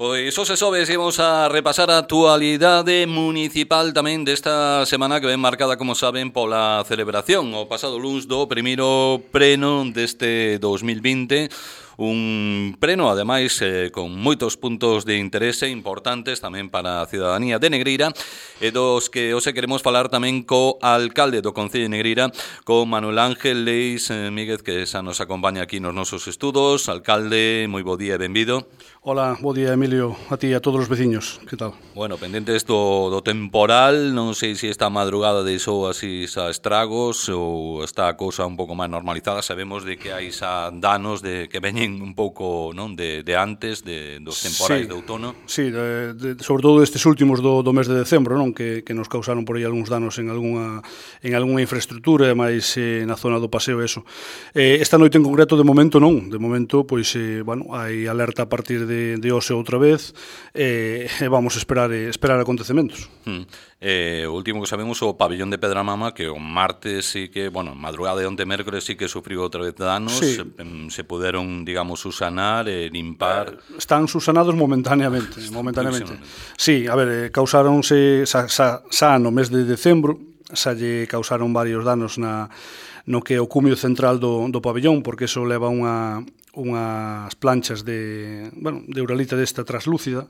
Pois os xoves imos a repasar a actualidade municipal tamén desta semana que ven marcada, como saben, pola celebración o pasado luns do primeiro pleno deste 2020. Un pleno, ademais, con moitos puntos de interese importantes tamén para a ciudadanía de Negreira e dos que hoxe queremos falar tamén co alcalde do Concello de Negreira, co Manuel Ángel Leis Míguez, que xa nos acompaña aquí nos nosos estudos. Alcalde, moi bo día e benvido. Hola, bo día, Emilio, a ti e a todos os veciños, que tal? Bueno, pendentes do temporal, non sei se esta madrugada deixou así xa estragos ou está a cousa un pouco máis normalizada. Sabemos de que hai xa danos de que veñen un pouco, non, de antes dos temporais de outono. Sí, sobre todo estes últimos do mes de decembro, non, que nos causaron por aí algúns danos en algunha infraestructura, máis na zona do paseo, eso. Esta noite en concreto, de momento non, de momento, pois, bueno, hai alerta a partir de hoxe outra vez, e vamos esperar acontecementos. O último que sabemos, o pabellón de Pedramama, que o martes sí que, bueno, madrugada de onte mércores sí que sufriu outra vez danos, sí. Se puderon, digamos, susanar e limpar. Están susanados momentaneamente. Sí, a ver, causáronse xa no mes de decembro, xa lle causaron varios danos no que é o cumio central do pabellón, porque eso leva unhas planchas de uralita desta traslúcida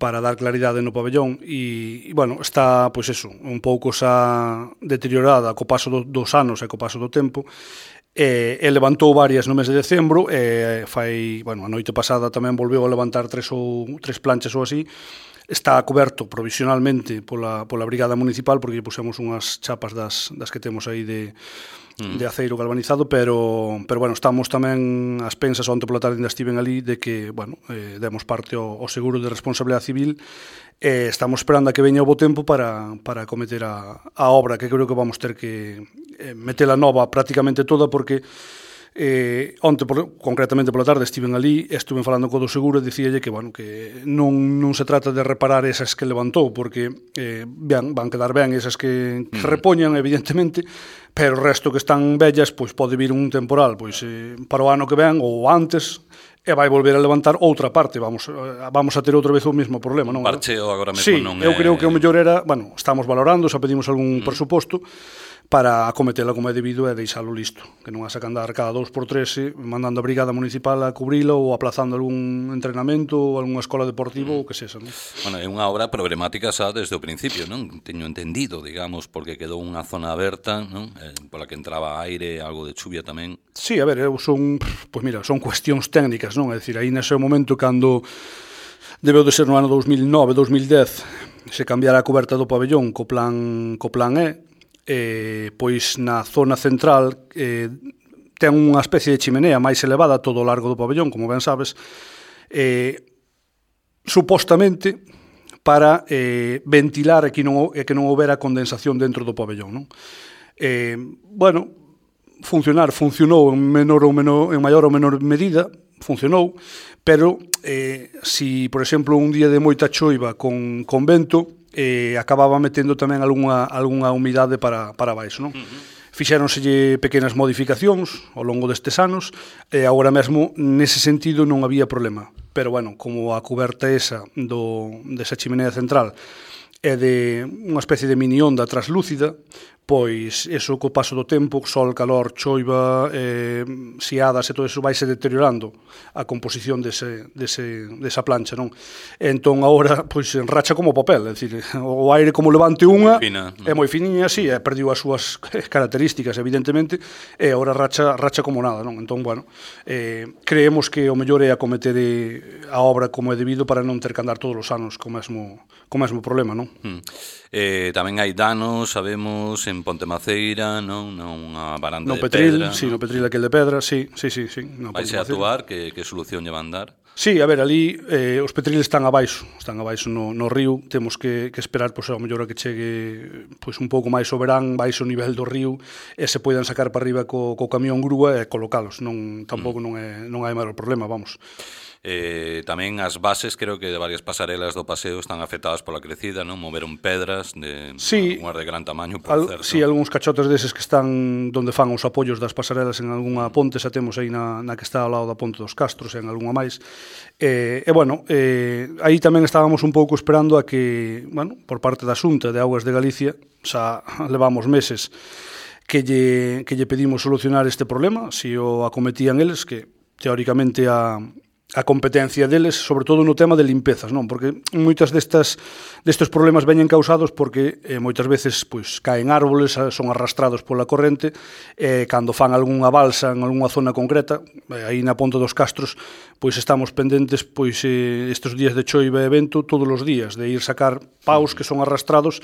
para dar claridade no pabellón e bueno, está, pois eso, un pouco xa deteriorada co paso dos anos e co paso do tempo, e levantou varias no mes de decembro, e a noite pasada tamén volveu a levantar tres planchas ou así. Está coberto provisionalmente pola Brigada Municipal, porque pusemos unhas chapas das que temos aí de aceiro galvanizado, pero bueno, estamos tamén ás pensas, onte pola tarde ainda estiven ali, de que, bueno, demos parte ao seguro de responsabilidade civil, e estamos esperando a que veña o bo tempo para acometer a obra, que creo que vamos ter que metela nova prácticamente toda, porque onte, concretamente pola tarde, estiven ali, estuven falando co do seguro e dicíalle que, bueno, que non se trata de reparar esas que levantou, porque van quedar ben esas que repoñan, evidentemente, pero o resto que están vellas, pois pode vir un temporal, pois para o ano que ven ou antes, e vai volver a levantar outra parte, vamos a ter outra vez o mesmo problema, non? Parcheo agora mesmo sí, non eu creo que o mellor era, bueno, estamos valorando, xa pedimos algún presuposto para acometela como é debido e deixalo listo, que non a sacan dar cada 2x3 mandando a Brigada Municipal a cubrilo ou aplazando algún entrenamento ou algunha escola deportiva ou que sexa, non? Bueno, é unha obra problemática xa desde o principio, non? Teño entendido, digamos, porque quedou unha zona aberta, non? Pola que entraba aire, algo de chuvia tamén. Sí, a ver, son cuestións técnicas, non? É dicir, aí nese momento cando debeu de ser no ano 2009-2010 se cambiara a coberta do pabellón co plan E, pois na zona central ten unha especie de chimenea máis elevada todo o largo do pabellón, como ben sabes, supostamente para ventilar e que non houbera condensación dentro do pabellón, non? Bueno, funcionou en maior ou menor medida, funcionou, pero si, por exemplo, un día de moita choiva con vento, acababa metendo tamén algunha humidade para baixo, non? Fixéronselle pequenas modificacións ao longo destes anos e agora mesmo nese sentido non había problema, pero bueno, como a coberta esa desa chimenea central é de unha especie de mini onda traslúcida, pois eso co paso do tempo, sol, calor, choiva, xiadas e todo eso vaise deteriorando a composición desa plancha, non? Entón agora pois racha como papel, é dicir, o aire como levante unha é moi finiña, sí, perdiu as súas características evidentemente, e agora racha como nada, non? Entón, bueno, creemos que o mellor é acometer a obra como é debido para non ter que andar todos os anos co mesmo problema, non? Tamén hai danos, sabemos, en Pontemaceira, non? Unha baranda de Petril, pedra. Sí, no Petril aquel de pedra, sí. Vaise a actuar, que solución lle van dar? Sí, a ver, ali os Petriles están abaixo no río, temos que esperar, pois, ao mellor a que chegue pois un pouco máis o verán, baixo o nivel do río, e se poidan sacar para arriba co camión grúa e colocalos, tampouco non hai maior problema, vamos. Tamén as bases, creo que de varias pasarelas do paseo están afectadas pola crecida, non? Moveron pedras, unhas de gran tamaño, por certo. Sí, algúns cachotes deses que están donde fan os apoios das pasarelas en algunha ponte, xa temos aí na que está ao lado da Ponte dos Castros, en algunha máis. Aí tamén estábamos un pouco esperando a que, por parte da Xunta de Augas de Galicia, xa levamos meses que lle pedimos solucionar este problema, se o acometían eles, que teóricamente a competencia deles, sobre todo no tema de limpezas, non? Porque moitas destes problemas veñen causados porque moitas veces pois caen árboles, son arrastrados pola corrente, cando fan algunha balsa en algunha zona concreta, aí na Ponte dos Castros, pois estamos pendentes pois estes días de choiva e vento todos os días, de ir sacar paus que son arrastrados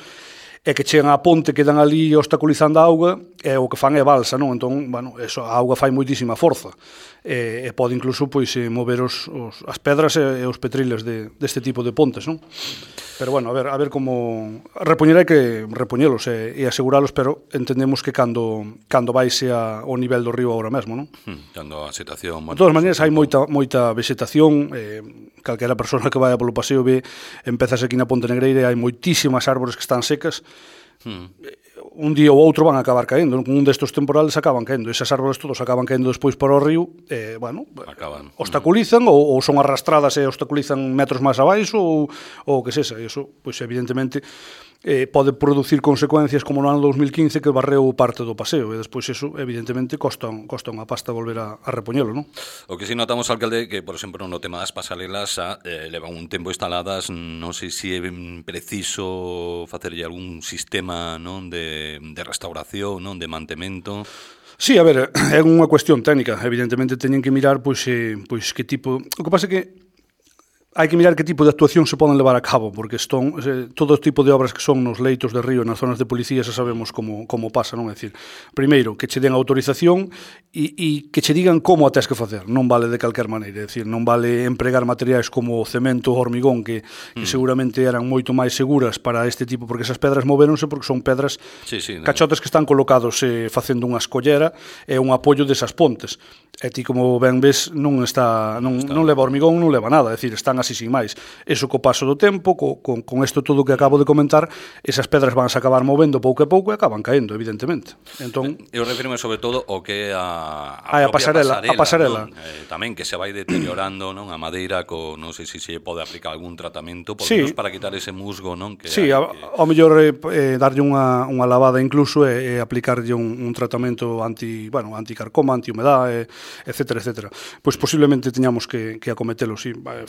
e que chegan á ponte, quedan ali obstaculizando a auga, e o que fan é balsa, non? Entón, a auga fai moitísima forza, e pode incluso pois mover as pedras e os petriles deste tipo de pontes, non? Pero a ver como repoñer hai que repoñelos e aseguralos, pero entendemos que cando baixe o nivel do río agora mesmo, non? Cando a situación... De todas maneiras, hai moita vegetación, calquera persona que vaya polo paseo ve, empezas aquí na Ponte Negreira e hai moitísimas árbores que están secas, un día ou outro van a acabar caendo, un destes temporales acaban caendo, esas árboles todos acaban caendo despois para o río, obstaculizan ou son arrastradas e obstaculizan metros máis abaixo ou o que sexa, e iso, pois evidentemente pode producir consecuencias como no ano 2015 que barreu parte do paseo, e despois iso evidentemente costa unha pasta volver a repoñelo, non? O que si notamos, alcalde, que, por exemplo, no tema das pasarelas levan un tempo instaladas, non sei se é preciso facerlle algún sistema, non, de restauración, non, de mantemento. Sí, a ver, é unha cuestión técnica, evidentemente teñen que mirar pois que tipo... O que pasa é que hai que mirar que tipo de actuación se poden levar a cabo, porque todo tipo de obras que son nos leitos de río, nas zonas de policía, xa sabemos como pasa, non? É dicir, primeiro, que che den autorización e que che digan como a tes que facer, non vale de calquer maneira, é dicir, non vale empregar materiais como o cemento ou hormigón, que seguramente eran moito máis seguras para este tipo, porque esas pedras moveronse porque son pedras cachotes que están colocados facendo unha escollera e un apoio desas pontes. E ti, como ben ves, non leva hormigón, non leva nada, é dicir, están así sin máis. Eso co paso do tempo, con isto todo que acabo de comentar, esas pedras van a acabar movendo pouco a pouco e acaban caendo, evidentemente. Entón, eu refirme sobre todo ao que é a pasarela. Tamén que se vai deteriorando, non, a madeira, non sei se se pode aplicar algún tratamento, por menos para quitar ese musgo, non? Ao mellor darlle unha lavada incluso e aplicarlle un tratamento anticarcoma, antihumedade, etcétera. Pois posiblemente teñamos que acometelo,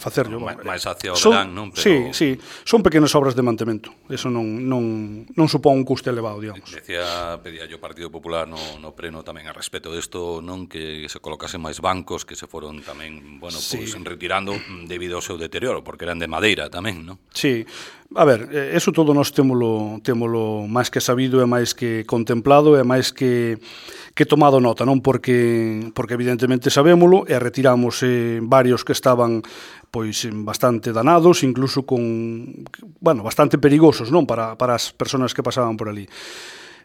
facerlo. máis hacia o verán, non? Pero... Sí, son pequenas obras de mantemento. Eso non supón un custe elevado, digamos. Pedía yo Partido Popular no pleno tamén a respecto desto, non, que se colocasen máis bancos que se foron tamén, pois retirando debido ao seu deterioro, porque eran de madeira tamén, non? Sí. A ver, eso todo nós témolo máis que sabido e máis que contemplado e máis que tomado nota, non? Porque evidentemente sabémolo e retiramos varios que estaban pois bastante danados, incluso bastante perigosos, non? Para as persoas que pasaban por ali.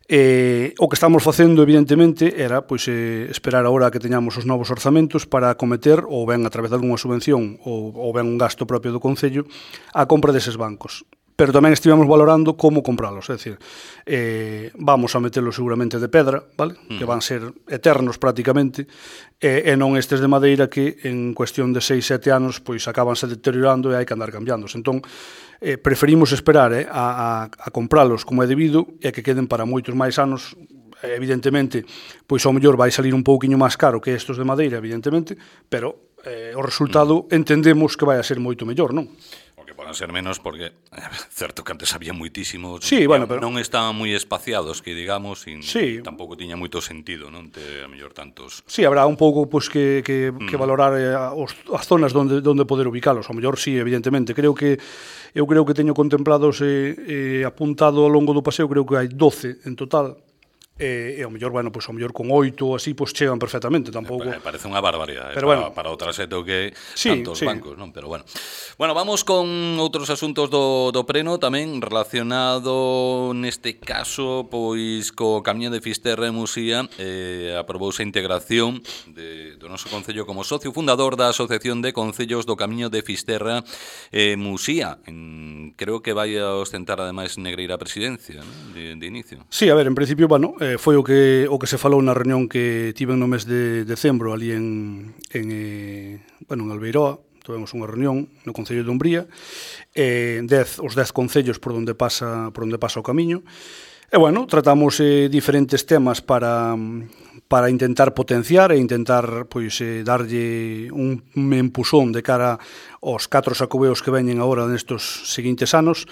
O que estamos facendo, evidentemente, era pois esperar agora que teñamos os novos orzamentos para acometer, ou ben a través de algunha subvención, ou ben un gasto propio do Concello, a compra deses bancos. Pero tamén estivemos valorando como compralos, é dicir, vamos a metelos seguramente de pedra, vale? Que van ser eternos prácticamente, e non estes de madeira que en cuestión de 6-7 anos pois acabanse deteriorando e hai que andar cambiándolos. Entón, preferimos esperar a compralos como é debido e que queden para moitos máis anos. Evidentemente, pois ao mellor vai salir un pouquiño máis caro que estes de madeira, evidentemente, pero o resultado entendemos que vai a ser moito mellor, non? Poden ser menos porque certo que antes había moitísimos, pero non estaban moi espaciados, que digamos, e tampouco tiña moito sentido, non, ter a mellor tantos. Sí, habrá un pouco pois que valorar as zonas onde poder ubicalos. Ao mellor sí, evidentemente. Eu creo que teño contemplados apuntado ao longo do paseo, creo que hai 12 en total. e ao mellor, bueno, pois ao mellor con 8 ou así, pois chegan perfectamente, tampouco. Parece unha barbaridade, pero bueno, para o traseto que sí, tantos sí. bancos, non? Pero bueno. Bueno, vamos con outros asuntos do Preno tamén relacionado neste caso pois co Camiño de Fisterra e Musía. Aprobouse a integración do noso concello como socio fundador da Asociación de Concellos do Camiño de Fisterra e Musía. Creo que vai a ostentar ademais Negreira a presidencia, non? De inicio. Sí, a ver, en principio, bueno, foi o que se falou na reunión que tiven no mes de decembro ali en Albeiroa. Tivemos unha reunión no Concello de Umbría, os 10 concellos por onde pasa o camiño. E, bueno, tratamos diferentes temas para intentar potenciar e intentar pois darlle un empusón de cara aos 4 sacobeos que veñen agora nestos seguintes anos.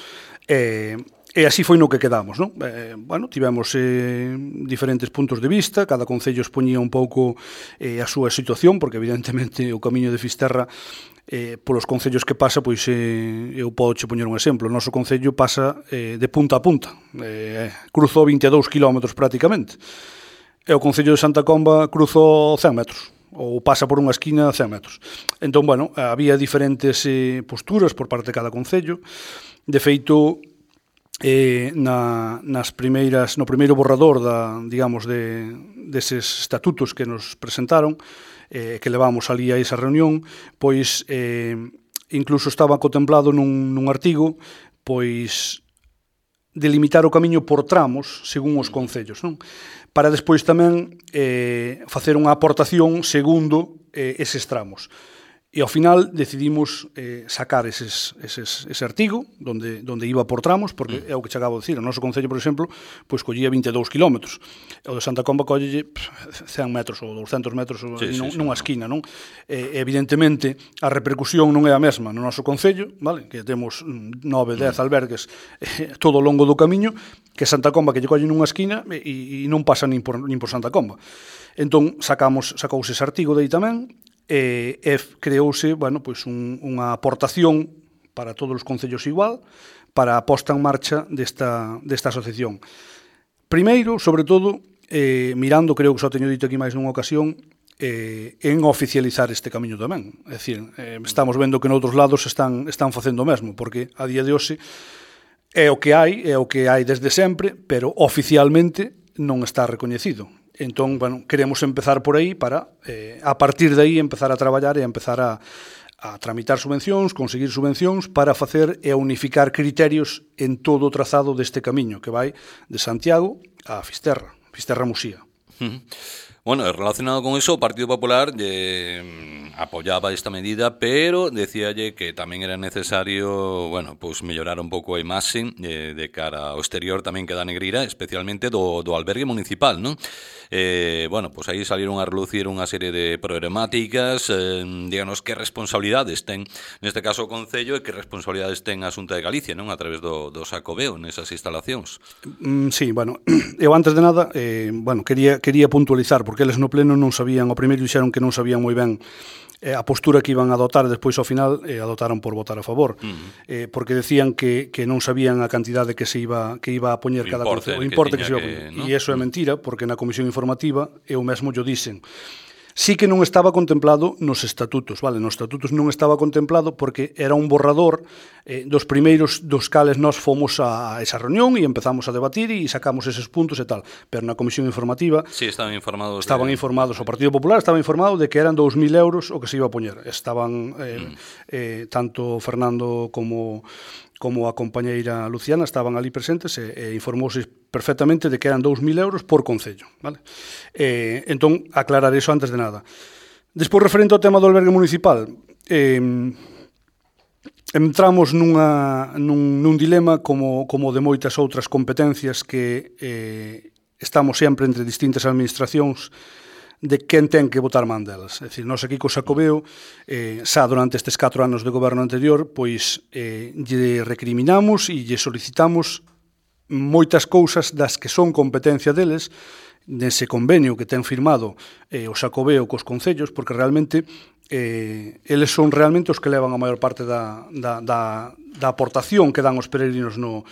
E así foi no que quedamos, non? Bueno, tivemos diferentes puntos de vista, cada concello expoñía un pouco a súa situación, porque evidentemente o Camiño de Fisterra, polos concellos que pasa, pois eu podo che poñer un exemplo. O noso concello pasa de punta a punta, cruzou 22 kilómetros prácticamente, e o concello de Santa Comba cruzou 100 metros, ou pasa por unha esquina 100 metros. Entón, bueno, había diferentes posturas por parte de cada concello. De feito, no primeiro borrador deses estatutos que nos presentaron, que levamos ali a esa reunión, pois incluso estaba contemplado nun artigo pois delimitar o camiño por tramos según os concellos, non? Para despois tamén facer unha aportación segundo eses tramos. E ao final decidimos sacar ese artigo onde iba por tramos, porque é o que che acabo de dicir. O noso concello, por exemplo, pois collía 22 kilómetros. O de Santa Comba collelle 100 metros ou 200 metros nunha esquina, non? Evidentemente, a repercusión non é a mesma no noso concello, vale? Que temos 9, 10 albergues todo o longo do camiño, que Santa Comba que lle colle nunha esquina e non pasa nin por Santa Comba. Entón, sacouse ese artigo de aí tamén, e creouse, bueno, pois unha aportación para todos os concellos igual para a posta en marcha desta asociación. Primeiro, sobre todo, mirando, creo que só teño dito aquí máis nunha ocasión, en oficializar este camiño tamén. É dicir, estamos vendo que noutros lados están facendo o mesmo, porque a día de hoxe é o que hai desde sempre, pero oficialmente non está recoñecido. Entón, bueno, queremos empezar por aí para, a partir de aí, empezar a traballar e empezar a tramitar subvencións, conseguir subvencións para facer e unificar criterios en todo o trazado deste camiño que vai de Santiago a Fisterra Musía. Bueno, relacionado con eso, o Partido Popular apoyaba esta medida, pero decíalle que tamén era necesario, bueno, pues mellorar un pouco a imaxe de cara ao exterior tamén que da Negreira, especialmente do albergue municipal, non? Bueno, pues aí salieron a relucir unha serie de problemáticas, díganos que responsabilidades ten neste caso o Concello e que responsabilidades ten a Xunta de Galicia, non? A través do Xacobeo nesas instalacións. Sí, bueno, eu antes de nada, bueno, quería puntualizar, porque eles no pleno non sabían, ao primeiro dixeron que non sabían moi ben a postura que iban a adoptar, despois ao final adotaron por votar a favor, porque decían que non sabían a cantidade que iba a poñer cada concello, o importe que se iba a poñer, e iso é mentira, porque na comisión informativa eu mesmo yo dixen. Sí que non estaba contemplado nos estatutos, vale? Nos estatutos non estaba contemplado porque era un borrador dos primeiros dos cales nós fomos a esa reunión e empezamos a debatir e sacamos eses puntos e tal. Pero na comisión informativa estaban informados. O Partido Popular estaba informado de que eran 2.000 euros o que se iba a poñer. Estaban tanto Fernando como a compañeira Luciana estaban ali presentes e informouse perfectamente de que eran 2.000 euros por concello, vale? Entón, aclarar iso antes de nada. Despois, referente ao tema do albergue municipal, entramos nun dilema como de moitas outras competencias que estamos sempre entre distintas administracións de quen ten que botar man delas. É dicir, nós aquí co Xacobeo, xa durante estes 4 anos de goberno anterior, pois lle recriminamos e lle solicitamos moitas cousas das que son competencia deles nese convenio que ten firmado o Xacobeo cos concellos, porque realmente eles son realmente os que levan a maior parte da aportación que dan os peregrinos no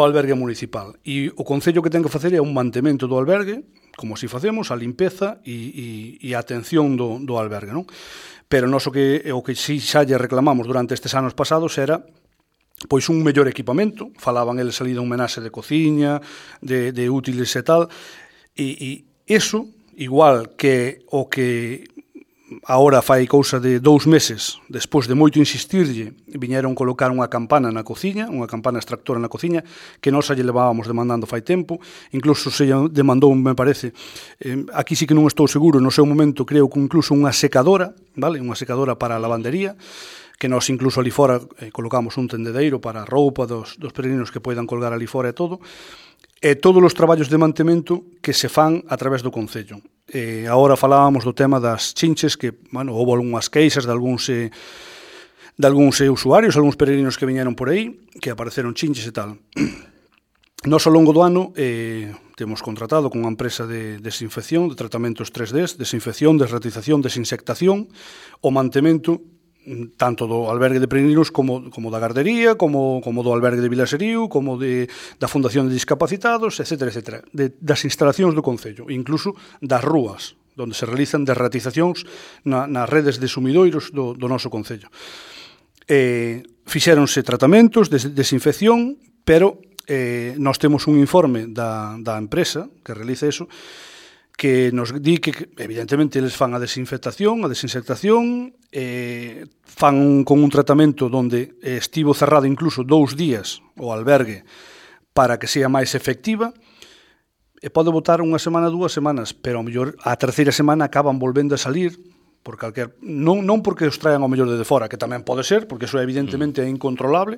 albergue municipal. E o Concello que ten que facer é un mantemento do albergue, como así facemos, a limpeza e a atención do albergue, non? Pero o que si xa lle reclamamos durante estes anos pasados era pois un mellor equipamento. Falaban eles ali dun menaxe de cociña, de útiles e tal, e iso, igual que o que agora fai cousa de 2 meses, despois de moito insistirlle, viñeron colocar unha campana na cociña, unha campana extractora na cociña, que nós lle levábamos demandando fai tempo, incluso se demandou, me parece, aquí sí que non estou seguro, no seu momento creo que incluso unha secadora, vale, unha secadora para a lavandería, que nós incluso ali fora colocamos un tendedeiro para a roupa dos peregrinos que poidan colgar ali fora e todo, e todos os traballos de mantemento que se fan a través do Concello. Agora falábamos do tema das chinches, que, bueno, houve algunhas queixas de algúns usuarios, algúns peregrinos que viñeron por aí, que apareceron chinches e tal. Nós, ao longo do ano, temos contratado con unha empresa de desinfección, de tratamentos 3D, desinfección, desratización, desinsectación, o mantemento tanto do albergue de peregrinos como da gardería, como do albergue de Vilaserío, como da Fundación de Discapacitados, etc. Das instalacións do Concello, incluso das rúas, onde se realizan desratizacións nas redes de sumidoiros do noso Concello. Fixéronse tratamentos de desinfección, pero nós temos un informe da empresa que realiza eso, que nos di que, evidentemente, eles fan a desinfectación, a desinsectación, fan con un tratamento onde estivo cerrado incluso 2 días o albergue para que sea máis efectiva, e pode botar unha semana, 2 semanas, pero ao mellor a terceira semana acaban volvendo a salir, por non porque os traen ao mellor de fora, que tamén pode ser, porque eso evidentemente é incontrolable,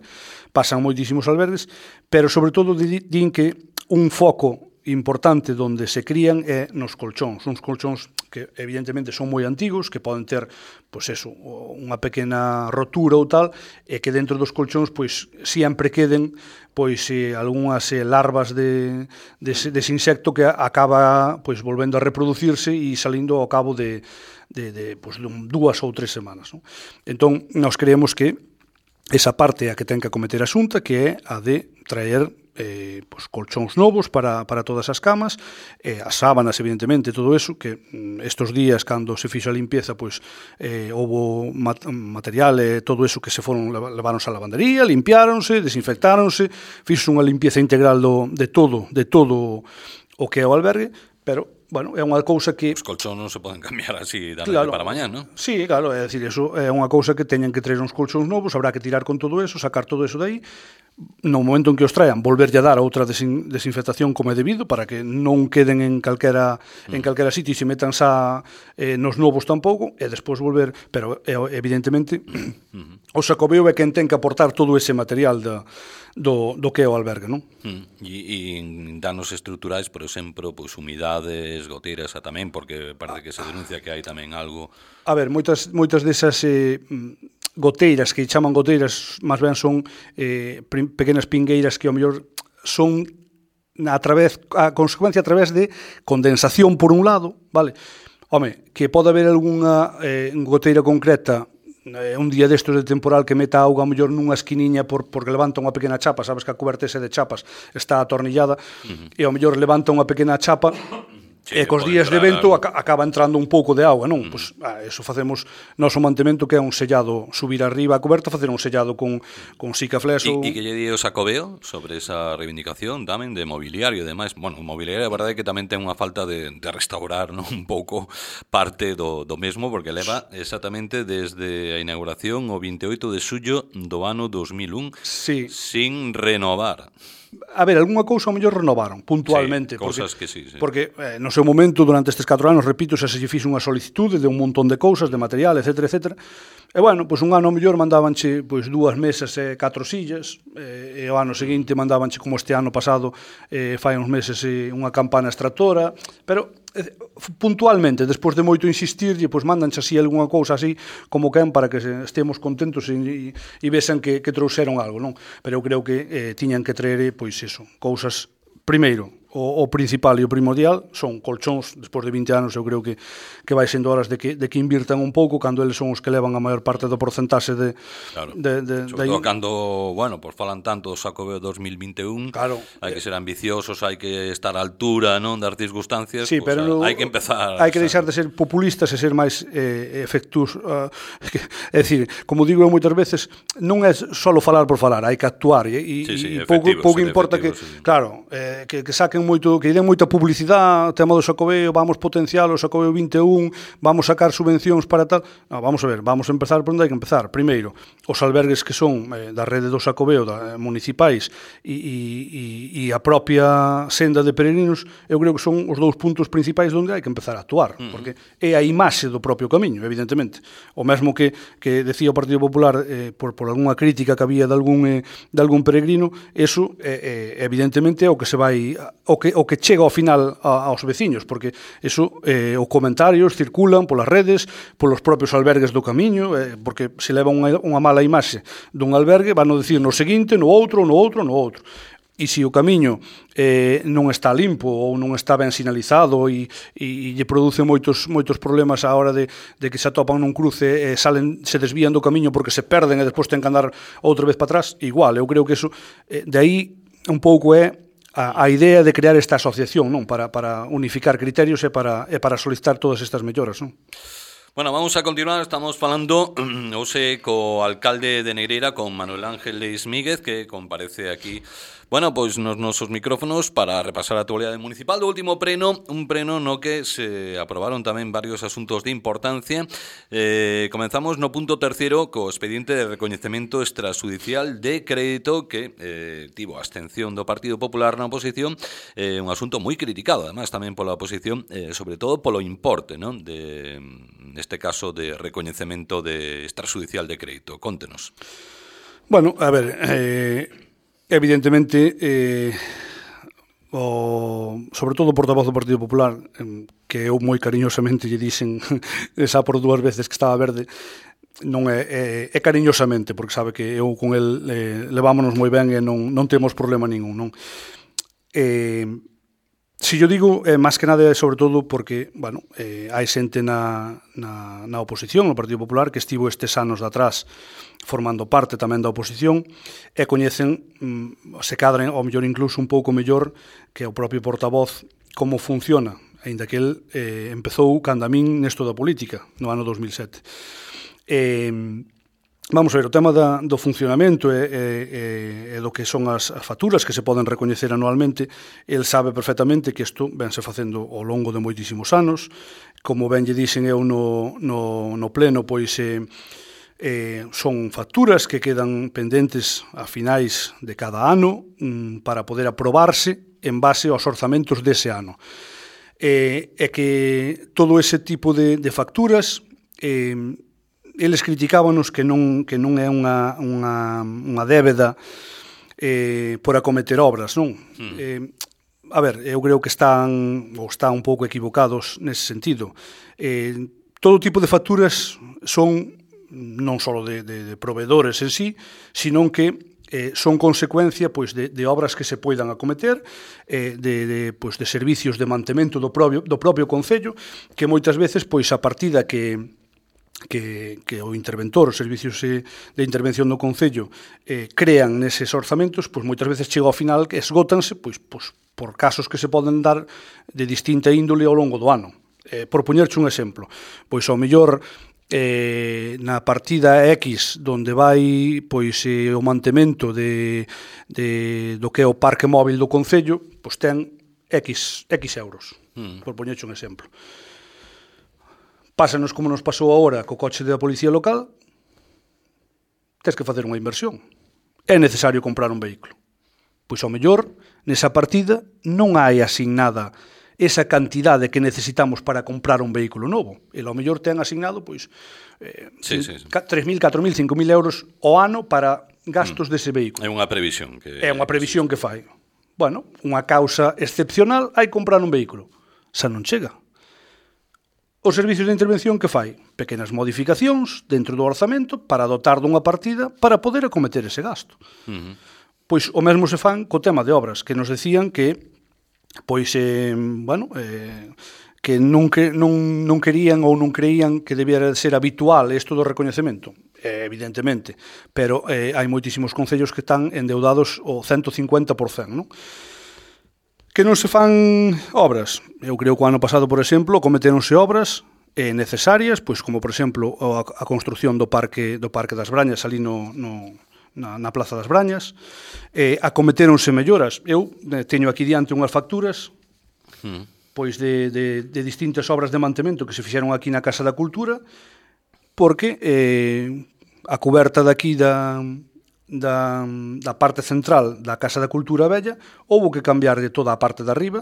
pasan moitísimos albergues, pero sobre todo din que un foco importante onde se crían é nos colchóns, uns colchóns que evidentemente son moi antigos, que poden ter, pois eso, unha pequena rotura ou tal, e que dentro dos colchóns pois sempre queden pois algunhas larvas dese insecto que acaba pois volvendo a reproducirse e salindo ao cabo de 2 ou 3 semanas, non? Entón, nós creemos que esa parte é a que ten que acometer a Xunta, que é a de traer colchóns novos para todas as camas, as sábanas, evidentemente, todo eso, que estes días, cando se fixo a limpieza, houve material e todo eso que se leváronse á lavandería, limpiáronse, desinfectáronse, fixo unha limpieza integral de todo o que é o albergue, pero bueno, é unha cousa que... Os colchóns non se poden cambiar así da noite para mañá, non? Sí, claro, é dicir, eso é unha cousa que teñen que traer uns colchóns novos, habrá que tirar con todo eso, sacar todo eso de aí, no momento en que os traen, volverlle a dar outra desinfectación como é debido, para que non queden en calquera sitio e se metan xa nos novos tampouco, e despois volver, pero evidentemente o Xacobeo é quen ten que aportar todo ese material do que é o albergue, non? E en danos estruturais, por exemplo, pois humidades, goteiras tamén, porque parece que se denuncia que hai tamén algo... A ver, moitas desas goteiras, que chaman goteiras, máis ben son pequenas pingueiras que ao mellor son a consecuencia a través de condensación por un lado, vale? Home, que pode haber algunha goteira concreta un día destos de temporal que meta auga ao mellor nunha esquiniña porque levanta unha pequena chapa, sabes que a coberta ese de chapas está atornillada, e ao mellor levanta unha pequena chapa, e cos días de vento acaba entrando un pouco de auga, non? Pois eso facemos noso mantemento, que é un sellado, subir arriba a coberta, facer un sellado con Sikaflex. E que lle di o Xacobeo sobre esa reivindicación tamén de mobiliario e demais? Bueno, o mobiliario, a verdade é que tamén ten unha falta de restaurar, non? Un pouco parte do mesmo, porque leva exactamente desde a inauguración o 28 de xullo do ano 2001 sin renovar. A ver, algunha cousa ao mellor renovaron puntualmente, cousas que sí. Porque no seu momento, durante estes 4 anos, repito, xa se lle fixo unha solicitude de un montón de cousas, de material, etc. E bueno, pois un ano ao mellor mandábanche 2 mesas e 4 sillas, e o ano seguinte mandábanche, como este ano pasado, fai uns meses, unha campana extractora, pero puntualmente, despois de moito insistirlle, pois mandanche así algunha cousa así como quen, para que estemos contentos e vexan que trouxeron algo, non? Pero eu creo que tiñan que traer, pois eso, cousas, primeiro, o principal e o primordial son colchóns. Despois de 20 anos eu creo que vai sendo horas de que invirtan un pouco, cando eles son os que levan a maior parte do porcentaxe de... Claro, sobre todo cando, bueno, pues falan tanto do Xacobeo 2021, claro, hai que ser ambiciosos, hai que estar á altura, non, das circunstancias, sí, pues, pero hai que empezar... Hai que deixar de ser populistas e ser máis efectus. É dicir, como digo eu moitas veces, non é só falar por falar, hai que actuar, e pouco importa que... Sí. Claro, que saquen moito, que den moita publicidade, tema do Xacobeo, vamos potenciar o Xacobeo 21, vamos sacar subvencións para tal. No, vamos a ver, vamos a empezar por onde hai que empezar. Primeiro, os albergues que son da rede do Xacobeo, municipais, e a propia senda de peregrinos, eu creo que son os dous puntos principais onde hai que empezar a actuar, porque é a imaxe do propio camiño, evidentemente. O mesmo que decía o Partido Popular por algunha crítica que había de algún peregrino, eso evidentemente é o que se vai, o que chega ao final aos veciños, porque eso, os comentarios circulan polas redes, polos propios albergues do camiño, porque se leva unha mala imaxe dun albergue, van a dicir no seguinte, no outro. E se o camiño non está limpo ou non está ben sinalizado e lle produce moitos problemas á hora de que se atopan nun cruce, se desvían do camiño porque se perden e despois ten que andar outra vez para atrás, igual, eu creo que eso, de aí un pouco é a idea de crear esta asociación, non, para unificar criterios e para solicitar todas estas melloras, non? Bueno, vamos a continuar, estamos falando hoxe co alcalde de Negreira, con Manuel Ángel Leis Míguez, que comparece aquí, bueno, pois nos nosos micrófonos para repasar a actualidade municipal do último pleno, un pleno no que se aprobaron tamén varios asuntos de importancia. Comenzamos no punto terceiro co expediente de recoñecemento extrajudicial de crédito que tivo a abstención do Partido Popular na oposición, un asunto moi criticado, además, tamén pola oposición, sobre todo polo importe, non, neste caso de recoñecemento de extrajudicial de crédito. Contenos. Bueno, a ver, evidentemente, sobre todo o portavoz do Partido Popular, que eu moi cariñosamente lle dixen esa por 2 veces que estaba verde, non é cariñosamente, porque sabe que eu con el levámonos moi ben e non temos problema ningún, non? Si yo digo, máis que nada, sobre todo porque, bueno, hai xente na oposición, no Partido Popular, que estivo estes anos de atrás formando parte tamén da oposición e coñecen, se cadren, ao mellor incluso un pouco mellor que o propio portavoz, como funciona, aínda que el empezou cando a min nesto da política, no ano 2007. Vamos a ver, o tema do funcionamento e do que son as facturas que se poden recoñecer anualmente, el sabe perfectamente que isto vense facendo ao longo de moitísimos anos. Como ben lle dixen eu no pleno, pois son facturas que quedan pendentes a finais de cada ano para poder aprobarse en base aos orzamentos dese ano. E que todo ese tipo de facturas... eles criticábanos que non é unha débeda por acometer obras, non? A ver, eu creo que están un pouco equivocados nese sentido. Todo tipo de facturas son non só de proveedores en sí, sino que son consecuencia pois de obras que se poidan acometer, de servicios de mantemento do propio concello, que moitas veces pois a partida que o interventor, os servicios de intervención do Concello crean neses orzamentos, pois moitas veces chega ao final que esgótanse pois por casos que se poden dar de distinta índole ao longo do ano. Por poñerche un exemplo, pois ao mellor na partida X donde vai pois o mantemento do que é o parque móvil do Concello, pois ten X euros, por poñerche un exemplo. Pásanos como nos pasou agora co coche da Policía Local, tens que facer unha inversión. É necesario comprar un vehículo. Pois ao mellor, nesa partida, non hai asignada esa cantidade que necesitamos para comprar un vehículo novo. E ao mellor ten asignado 3.000, 4.000, 5.000 euros ao ano para gastos dese vehículo. É unha previsión que fai. Bueno, unha causa excepcional, hai comprar un vehículo. Xa non chega. Os servicios de intervención que fai? Pequenas modificacións dentro do orzamento para dotar dunha partida para poder acometer ese gasto. Pois o mesmo se fan co tema de obras, que nos decían que pois, que non querían ou non creían que debiera ser habitual isto do recoñecemento, evidentemente, pero hai moitísimos concellos que están endeudados o 150%, non? Que non se fan obras. Eu creo que o ano pasado, por exemplo, cometéronse obras necesarias, pois como, por exemplo, a construción do Parque das Brañas ali na Plaza das Brañas, acometéronse melloras. Eu teño aquí diante unhas facturas pois de distintas obras de mantemento que se fixeron aquí na Casa da Cultura, porque a cuberta daqui da parte central da Casa da Cultura Vella houbo que cambiar de toda a parte de arriba,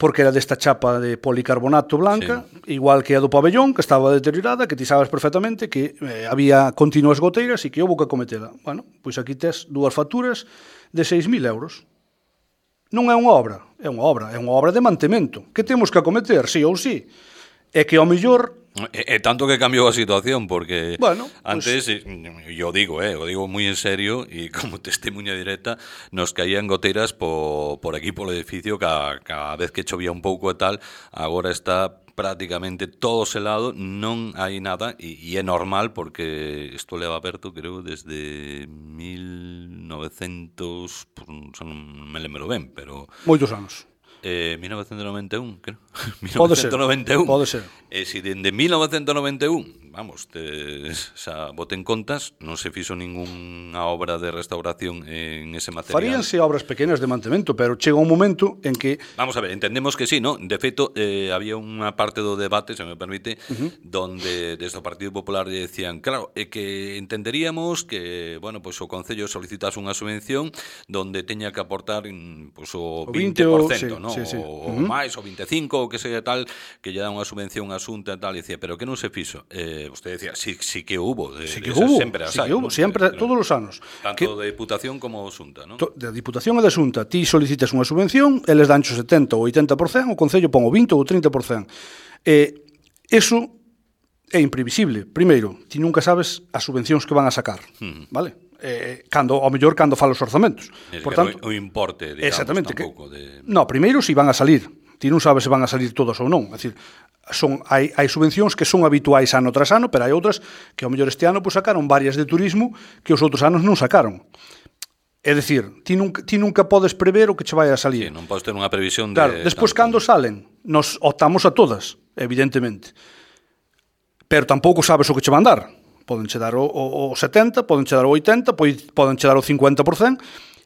porque era desta chapa de policarbonato blanca, igual que a do pabellón, que estaba deteriorada, que ti sabes perfectamente que había continuas goteiras e que houbo que acometela. Bueno, pois aquí tes dúas facturas de 6.000 euros. Non é unha obra, é unha obra de mantemento. Que temos que acometer, sí ou sí? É que ao mellor... E tanto que cambiou a situación, porque antes, pues... yo digo muy en serio, y como testemunha directa, nos caían goteras por aquí, polo edificio, cada vez que chovía un pouco e tal. Agora está prácticamente todo selado, non hai nada, e é normal, porque isto leva aberto, creo, desde 1900, non me lembro ben, pero... Moitos anos. 1991, creo. Pode ser. E se dende 1991, vamos, xa boten contas, non se fixo ningunha obra de restauración en ese material. Faríanse obras pequenas de mantemento, pero chega un momento en que... Vamos a ver, entendemos que sí, ¿no? De feito, había unha parte do debate, se me permite, donde desde o Partido Popular decían, claro, que entenderíamos que, bueno, pues o Concello solicitase unha subvención donde teña que aportar pues, o 20%, ¿no? Sí. O máis, o 25%, o que sea tal, que lle dá unha subvención a Xunta e tal, e decía, pero que non se fixo? Usted decía, sí que hubo. Sempre todos os anos. Tanto de Diputación como Xunta, ¿no? Da Diputación e da Xunta. Ti solicitas unha subvención, eles dancho 70 ou 80%, o Concello pon o 20 ou 30%. Eso é imprevisible. Primeiro, ti nunca sabes as subvencións que van a sacar, vale? Ao mellor cando fala os orzamentos. Por tanto, o importe, digamos, exactamente, tampouco de... No, primeiro si van a salir. Ti non sabes se van a salir todos ou non. É dicir, hai subvencións que son habituais ano tras ano, pero hai outras que ao mellor este ano pues, sacaron varias de turismo que os outros anos non sacaron. É dicir, ti nunca podes prever o que che vai a salir. Sí, non podes ter unha previsión de... Claro, despois cando salen, nos optamos a todas, evidentemente. Pero tampouco sabes o que che van dar. Poden che dar o 70, poden che dar o 80, poden che dar o 50%,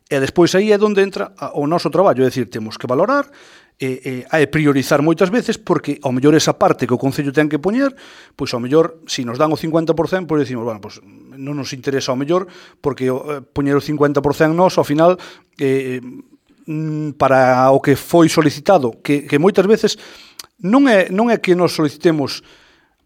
e despois aí é onde entra o noso traballo, é dicir, temos que valorar e priorizar moitas veces, porque ao mellor esa parte que o Concello ten que poñer, pois ao mellor, se nos dan o 50%, pois decimos, bueno, pois non nos interesa ao mellor, porque poñer o 50% nos, ao final, para o que foi solicitado, que moitas veces non é que nos solicitemos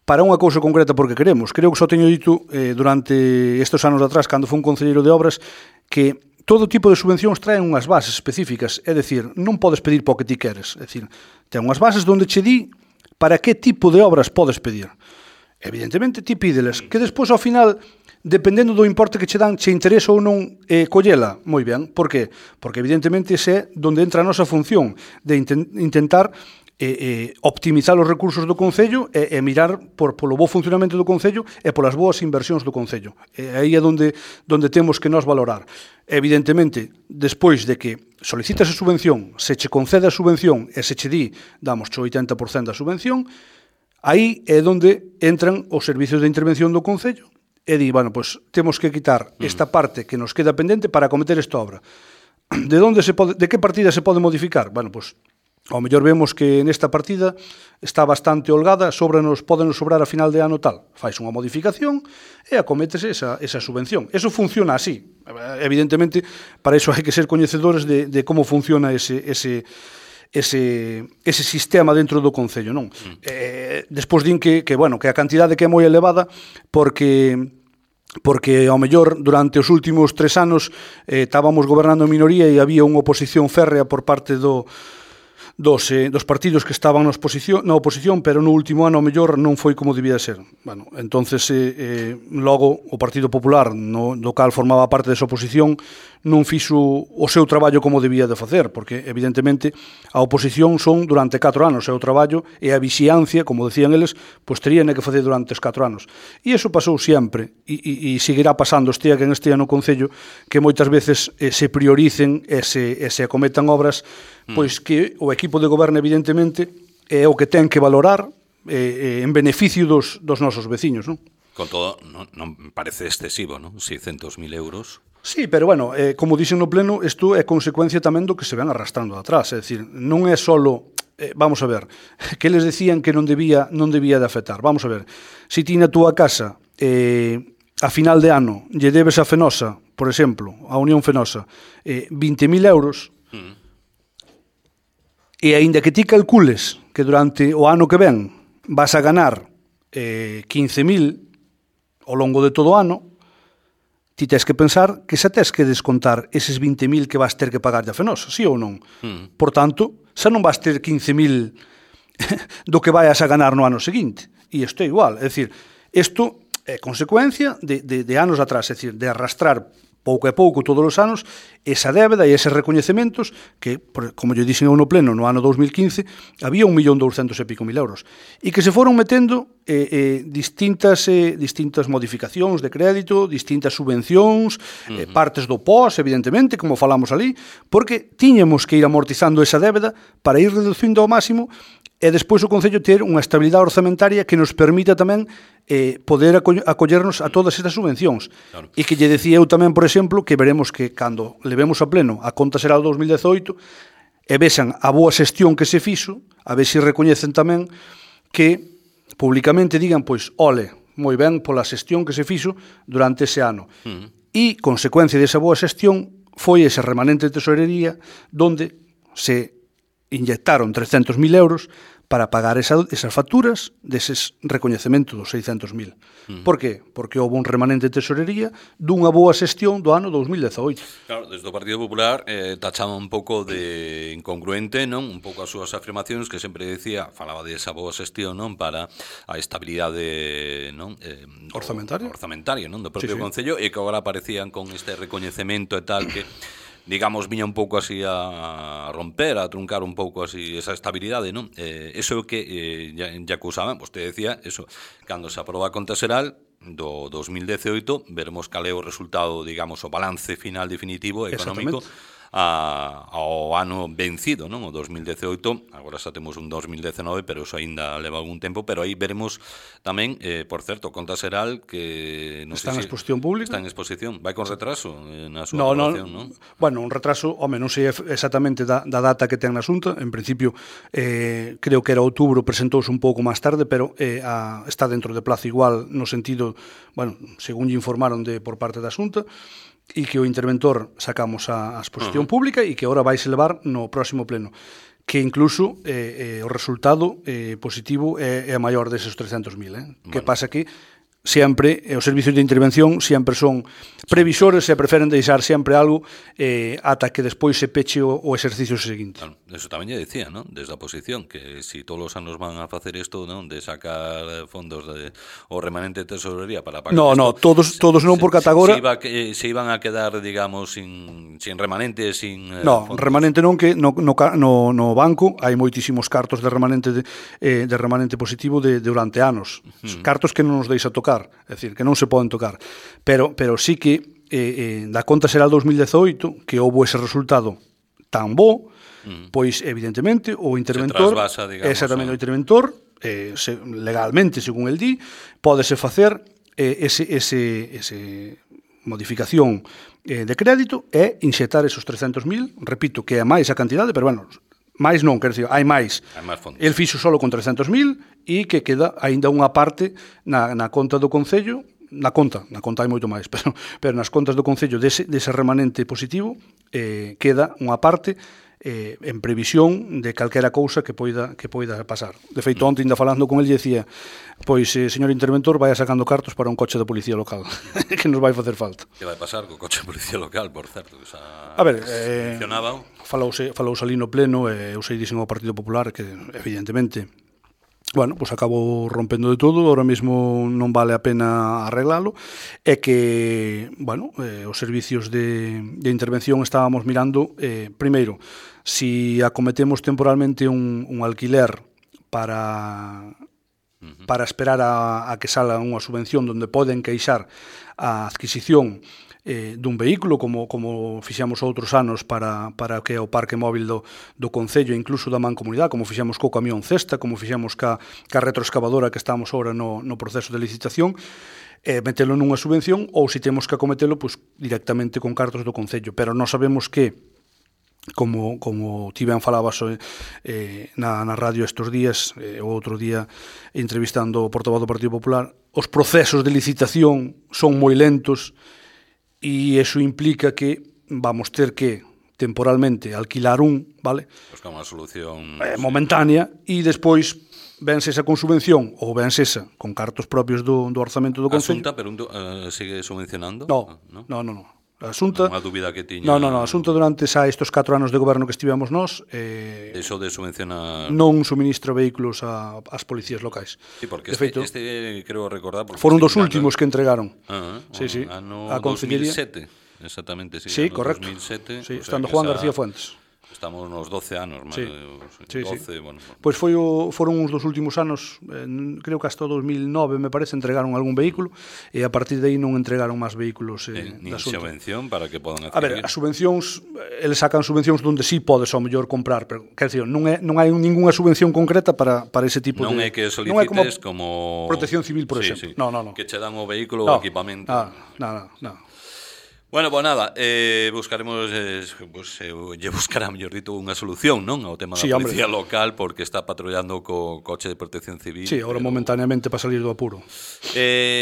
para unha cousa concreta porque queremos. Creo que só teño dito durante estes anos atrás, cando foi un concelleiro de obras, que todo tipo de subvencións traen unhas bases específicas, é dicir, non podes pedir para o que ti queres, é dicir, ten unhas bases onde che di para que tipo de obras podes pedir. Evidentemente, ti pídeles, que despois ao final, dependendo do importe que che dan, che interesa ou non collela, moi ben, por qué? Porque evidentemente ese é onde entra a nosa función de intentar optimizar os recursos do Concello e mirar polo bo funcionamento do Concello e polas boas inversións do Concello. Aí é onde temos que nos valorar. Evidentemente, despois de que solicitas a subvención, se che concede a subvención e se che di, damos o 80% da subvención, aí é onde entran os servicios de intervención do Concello e di, bueno, pues temos que quitar esta parte que nos queda pendente para acometer esta obra. De que partida se pode modificar? Bueno, pues ao mellor vemos que nesta partida está bastante holgada, pódenos sobrar a final de ano tal. Fais unha modificación e acométese esa subvención. Eso funciona así. Evidentemente, para iso hai que ser coñecedores de como funciona ese sistema dentro do Concello, non? Despois din que a cantidade que é moi elevada porque ao mellor durante os últimos 3 anos estábamos gobernando en minoría e había unha oposición férrea por parte dos partidos que estaban na oposición, pero no último ano ao mellor non foi como debía ser. Bueno, entonces logo o Partido Popular, do cal formaba parte desa oposición, non fixo o seu traballo como debía de facer, porque evidentemente a oposición son durante 4 anos, e o traballo e a vixiancia, como decían eles, pois terían que facer durante os 4 anos. E iso pasou sempre, e seguirá pasando estea que en este ano Concello, que moitas veces se prioricen e se acometan obras, pois que o equipo de goberno evidentemente é o que ten que valorar en beneficio dos nosos veciños, non? Con todo, non parece excesivo, non? 600.000 euros. Sí, pero bueno, como dixen no pleno, isto é consecuencia tamén do que se ven arrastrando atrás, é dicir, non é solo, vamos a ver, que eles decían que non debía de afectar, vamos a ver, se ti na túa casa a final de ano lle debes a Fenosa, por exemplo, a Unión Fenosa, 20.000 euros, e aínda que ti calcules que durante o ano que ven vas a ganar 15.000 ao longo de todo o ano, ti tes que pensar que xa tes que descontar eses 20.000 que vas ter que pagar a Fenosa, sí ou non? Por tanto, xa non vas ter 15.000 do que vayas a ganar no ano seguinte. E isto é igual, é dicir, isto é consecuencia de anos atrás, é dicir, de arrastrar pouco a pouco todos os anos esa débeda e eses recoñecementos que, como yo dixen eu no pleno, no ano 2015 había 1.200.000 e pico euros e que se foron metendo distintas modificacións de crédito, distintas subvencións, partes do POS, evidentemente, como falamos ali, porque tiñamos que ir amortizando esa débeda para ir reducindo ao máximo e despois o Concello ter unha estabilidade orzamentaria que nos permita tamén poder acollernos a todas estas subvencións. Claro. E que lle decía eu tamén, por exemplo, que veremos que cando levemos a pleno a conta xeral 2018 e vexan a boa xestión que se fixo, a ver se recoñecen tamén que publicamente digan, pois, ole, moi ben pola xestión que se fixo durante ese ano. E, consecuencia desa boa xestión, foi ese remanente de tesorería donde se inyectaron 300.000 euros para pagar esas facturas deses recoñecementos dos 600.000. Por qué? Porque houve un remanente de tesorería dunha boa xestión do ano 2018. Claro, desde o Partido Popular tachaba un pouco de incongruente, non? Un pouco as súas afirmacións que sempre decía, falaba de esa boa xestión, non? Para a estabilidade, non? Orzamentaria, non? Do propio Concello, e que agora aparecían con este recoñecemento e tal que digamos, viña un pouco así a romper, a truncar un pouco así esa estabilidade, non? Eso é o que ya acusaban, vostede decía, eso, cando se aproba a conta xeral do 2018, veremos cal é o resultado, digamos, o balance final definitivo económico ao ano vencido, non? O 2018, agora xa temos un 2019, pero eso aínda leva algún tempo, pero aí veremos tamén, por certo, conta xeral que non está en exposición pública. Está en exposición, vai con retraso na súa aprobación, non? Bueno, un retraso, home, non sei exactamente da data que ten na Xunta, en principio creo que era outubro, presentouse un pouco máis tarde, pero está dentro de plazo igual no sentido, bueno, según lle informaron por parte da Xunta, e que o interventor sacamos a exposición pública e que agora vais elevar no próximo pleno, que incluso o resultado positivo é maior deses 300.000. Que pasa que sempre os servicios de intervención sempre son previsores e preferen deixar sempre algo ata que despois se peche o exercicio seguinte. Claro, eso tamén lle decía, ¿no? Desde a oposición, que si todos os anos van a facer isto, ¿no? De sacar fondos o remanente de tesorería para pagar todos non, porque ata agora se iban a quedar, digamos, sin remanente, sin fondos. Remanente non, que no banco hai moitísimos cartos de remanente positivo durante anos. Cartos que non nos deixa tocar, é dicir, que non se poden tocar, pero sí que da conta xeral 2018 que houve ese resultado tan bo, pois evidentemente o interventor, exactamente, o interventor legalmente, según el di, pódese facer ese modificación de crédito e inxetar esos 300.000, repito que é máis a cantidade, pero bueno, máis non, quer dizer, hai máis. El fixo solo con 300.000 e que queda aínda unha parte na conta do Concello, na conta hai moito máis, pero nas contas do Concello dese remanente positivo queda unha parte en previsión de calquera cousa que poida pasar. De feito, onte ainda falando con el dicía, pois, señor interventor, vai sacando cartos para un coche da policía local que nos vai facer falta. Que vai pasar co coche da policía local, por certo? A ver, falouse ali no pleno, eu sei dixen ao Partido Popular que, evidentemente, bueno, pois acabou rompendo de todo, ahora mesmo non vale a pena arreglalo, é que, bueno, os servicios de intervención estábamos mirando, primeiro, si acometemos temporalmente un alquiler para esperar a que salga unha subvención donde poden queixar a adquisición dun vehículo, como fixamos outros anos para que o parque móvil do Concello, incluso da Mancomunidade, como fixamos co camión cesta, como fixamos ca retroexcavadora que estamos ahora no proceso de licitación, metelo nunha subvención, ou se temos que acometelo, pois, directamente con cartos do Concello. Pero nós sabemos que, como Tiben falaba na radio estes días, o outro día entrevistando o portavoz do Partido Popular, os procesos de licitación son moi lentos, e iso implica que vamos ter que temporalmente alquilar vale? Buscar unha solución momentánea, e despois vense esa con subvención ou vense esa con cartos propios do orzamento do Concello. A Xunta, pero sigue subvencionando? No. A Xunta, unha dúbida que tiña. No, a Xunta durante estes 4 anos de goberno que estivemos nós, eso de subvencionar, non suministra vehículos ás policías locais. Sí, porque este creo recordar, foron dos últimos que entregaron. Sí, ano 2007, exactamente, sí. Sí, correcto. 2007, sí, estando Juan García Fuentes. Estamos nos 12 anos, sí. 12, sí. Bueno. Pois foron uns dos últimos anos, creo que hasta o 2009, me parece, entregaron algún vehículo, e a partir de aí non entregaron máis vehículos nin subvención para que podan adquirir. A ver, as subvencións, eles sacan subvencións donde sí podes ao mellor comprar, pero, quer dizer, non hai ningunha subvención concreta para ese tipo non de... Non é que solicites como Protección Civil, por exemplo. Sí. No. Que che dan o vehículo ou equipamento. No. Bueno, pues nada, buscaremos, lle buscará, mellor dito, unha solución, non? Ao tema da policía local, porque está patrullando co coche de protección civil. Sí, agora momentáneamente para salir do apuro.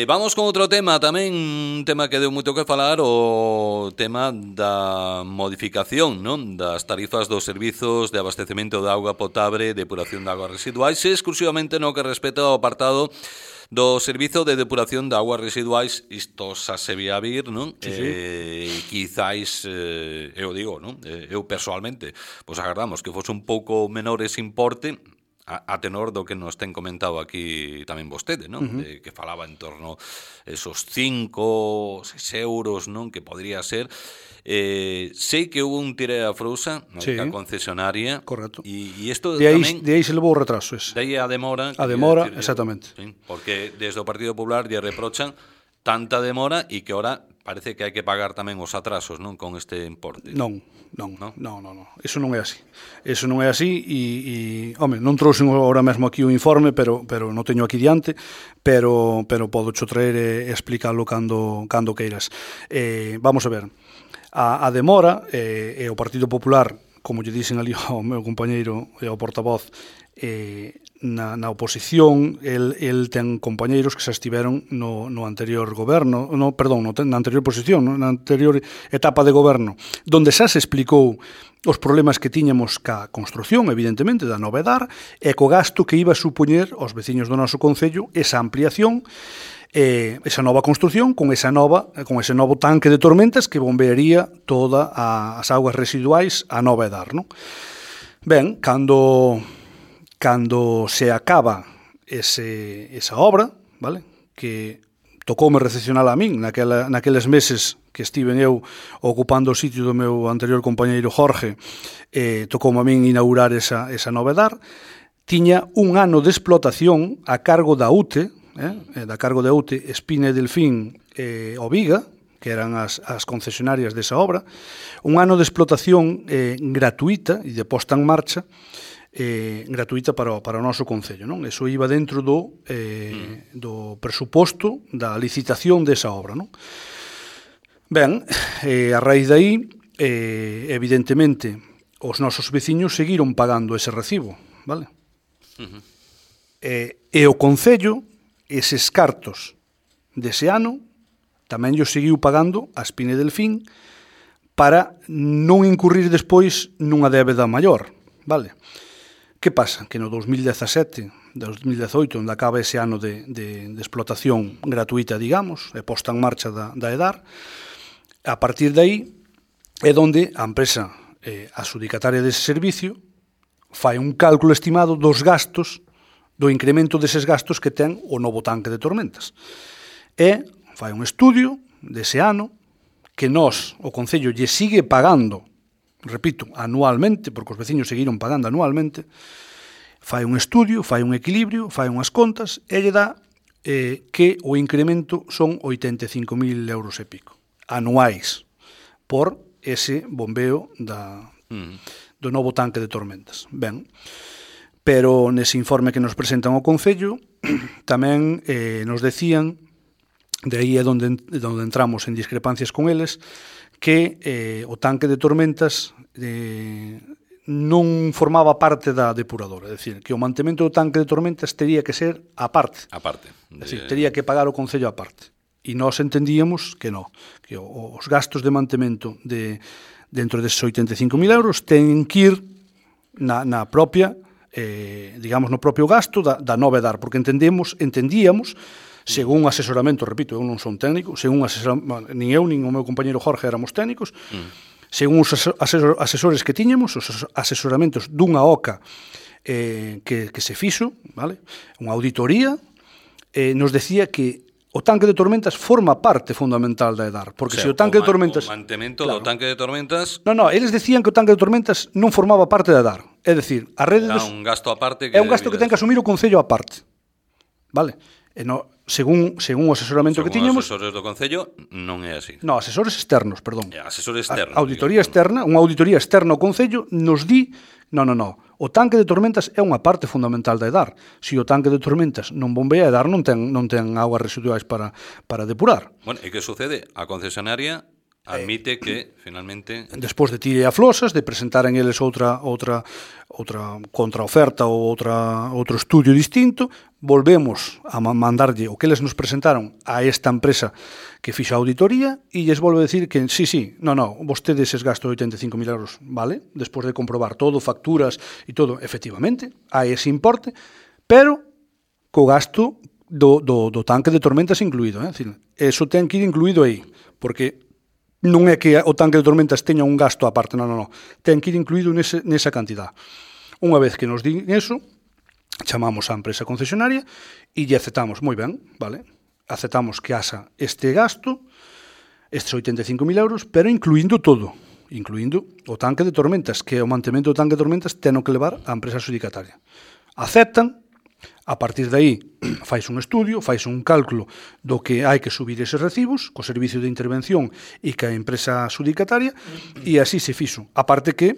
Vamos con outro tema tamén, un tema que deu moito que falar, o tema da modificación, non? Das tarifas dos servizos de abastecemento de auga potable, depuración de augas residuais, exclusivamente no que respecta ao apartado do Servizo de Depuración de Aguas Residuais. Isto xa se vía vir, non? Sí. Quizáis, eu digo, non? Eu persoalmente, pois agardamos que fose un pouco menor ese importe, a tenor do que nos ten comentado aquí tamén vostede, non? Que falaba en torno esos 5, 6 euros, non? Que podría ser. Sei que hubo un tire a frousa na concesionaria. Correcto. E isto tamén... De aí se levou o retraso ese. De aí a demora. A demora, exactamente. Sí, porque desde o Partido Popular lle reprochan tanta demora e que ahora parece que hai que pagar tamén os atrasos, non? Con este importe. Non. Eso non é así. Eso non é así e home, non trouxe agora mesmo aquí o informe, pero non teño aquí diante, pero podo cho traer e explicarlo cando queiras. Vamos a ver. A demora e o Partido Popular, como lle dixen ali ao meu compañeiro e ao portavoz, na oposición, el ten compañeiros que xa estiveron no anterior goberno, na anterior posición, na anterior etapa de goberno, donde xa se explicou os problemas que tiñamos ca construción, evidentemente, da nova EDAR, e co gasto que iba a supoñer aos veciños do noso concello esa ampliación, esa nova construción con ese novo tanque de tormentas que bombearía todas as augas residuais a nova EDAR, non? Ben, cando se acaba esa obra, vale? Que tocoume recepcionar a min naqueles meses que estiven eu ocupando o sitio do meu anterior compañeiro Jorge, tocoume a min inaugurar esa nova EDAR, tiña un ano de explotación a cargo da UTE, Espina e Delfín e Oviga, que eran as concesionarias desa obra, un ano de explotación gratuita e de posta en marcha gratuita para o noso concello, non? Eso iba dentro do presuposto da licitación desa obra, non? Ben, a raíz de aí, evidentemente, os nosos veciños seguiron pagando ese recibo, vale? E o concello, eses cartos dese ano, tamén yo seguiu pagando a Espina e Delfín para non incurrir despois nunha débeda maior, vale? Que pasa? Que no 2017, 2018, onde acaba ese ano de explotación gratuita, digamos, e posta en marcha da EDAR, a partir de aí é onde a empresa adxudicataria dese servicio fai un cálculo estimado dos gastos do incremento deses gastos que ten o novo tanque de tormentas. E fai un estudio dese ano que nós, o Concello, lle sigue pagando, repito, anualmente, porque os veciños seguiron pagando anualmente, fai un estudio, fai un equilibrio, fai unhas contas, e lle dá que o incremento son 85.000 euros e pico, anuais, por ese bombeo do novo tanque de tormentas. Ben, pero nese informe que nos presentan ao Concello tamén nos decían, de aí é onde entramos en discrepancias con eles, que o tanque de tormentas non formaba parte da depuradora, é dicir, que o mantemento do tanque de tormentas tería que ser aparte. É dicir, tería que pagar o Concello aparte. E nós entendíamos que non, que os gastos de mantemento dentro deses 85.000 euros ten que ir na propia, digamos, no propio gasto da nova EDAR, porque entendíamos, según asesoramento, repito, eu non son técnico, según nin eu, nin o meu compañeiro Jorge éramos técnicos, según os asesores que tiñamos, os asesoramentos dunha OCA que se fixo, vale? Unha auditoría, nos decía que o tanque de tormentas forma parte fundamental da EDAR, porque se o tanque de tormentas... O mantemento do tanque de tormentas... Non, eles decían que o tanque de tormentas non formaba parte da EDAR, é dicir, a rede... É un gasto aparte... É un gasto que ten que asumir o Concello aparte, vale? E según o asesoramento que tiñamos... Según os asesores do Concello, non é así. Non, asesores externos, perdón. Asesores externos. Auditoría externa, unha auditoría externa ao Concello nos di, non, o tanque de tormentas é unha parte fundamental da EDAR. Se o tanque de tormentas non bombea, a EDAR non ten augas residuais para depurar. Bueno, e que sucede? A concesionaria admite que, finalmente... Despois de tire a flosas, de presentar en eles outra contraoferta ou outro estudio distinto, volvemos a mandarlle o que eles nos presentaron a esta empresa que fixo a auditoría e lles volve a decir que sí, vostedes es gasto de 85.000 euros, vale? Despois de comprobar todo, facturas e todo, efectivamente, hai ese importe, pero co gasto do tanque de tormentas incluído, é dicir, eso ten que ir incluído aí, porque non é que o tanque de tormentas teña un gasto aparte, non, ten que ir incluído nesa cantidad. Unha vez que nos din eso, chamamos á empresa concesionaria e lle aceptamos, moi ben, vale, aceptamos que haxa este gasto, estes 85.000 euros, pero incluindo todo, incluindo o tanque de tormentas, que o mantemento do tanque de tormentas ten que levar á empresa adjudicataria. Aceptan. A partir de aí, fais un estudio, fais un cálculo do que hai que subir eses recibos co servicio de intervención e ca empresa adjudicataria e así se fixo. A parte que